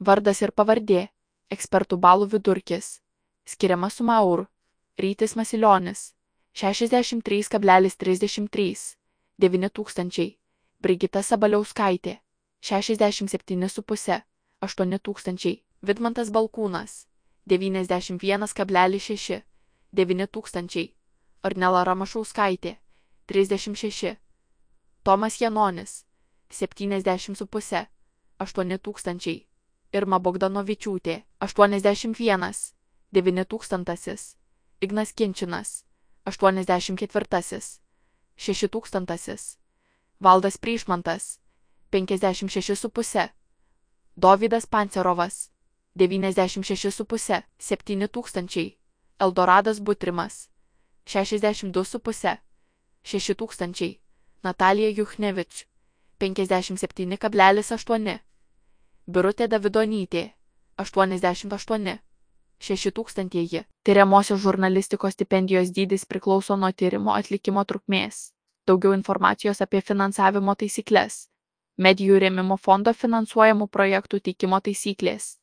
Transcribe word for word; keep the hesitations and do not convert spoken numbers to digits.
Vardas ir pavardė. Ekspertų balų vidurkis. Skiriama suma eurų. Rytis Masilionis. šešiasdešimt trys kablelis trisdešimt trys. devyni tūkstančiai. Brigita Sabaliauskaitė. šešiasdešimt septyni su puse. aštuoni tūkstančiai. Vidmantas Balkūnas. devyniasdešimt vienas kablelis šeši. devyni tūkstančiai. Ornela Ramašauskaitė. trisdešimt šeši. Tomas Janonis. septyniasdešimt su puse. aštuoni tūkstančiai. Irma Bogdanovičiūtė. aštuoniasdešimt vienas. devyni tūkstantasis. Ignas Kinčinas. aštuoniasdešimt ketvirtasis. šeši tūkstantasis. Valdas Pryšmantas. penkiasdešimt šeši su puse. Dovydas Pancerovas. devyniasdešimt šeši su puse. septyni tūkstančiai. Eldoradas Butrimas. šešiasdešimt du su puse. šeši tūkstančiai. Natalija Juchnevič. penkiasdešimt septyni kablelis aštuoni. Birutė Davidonytė. aštuoniasdešimt aštuoni. šeši tūkstantieji. Tiriamosios žurnalistikos stipendijos dydis priklauso nuo tyrimo atlikimo trukmės. Daugiau informacijos apie finansavimo taisykles. Medijų rėmimo fondo finansuojamų projektų teikimo taisyklės.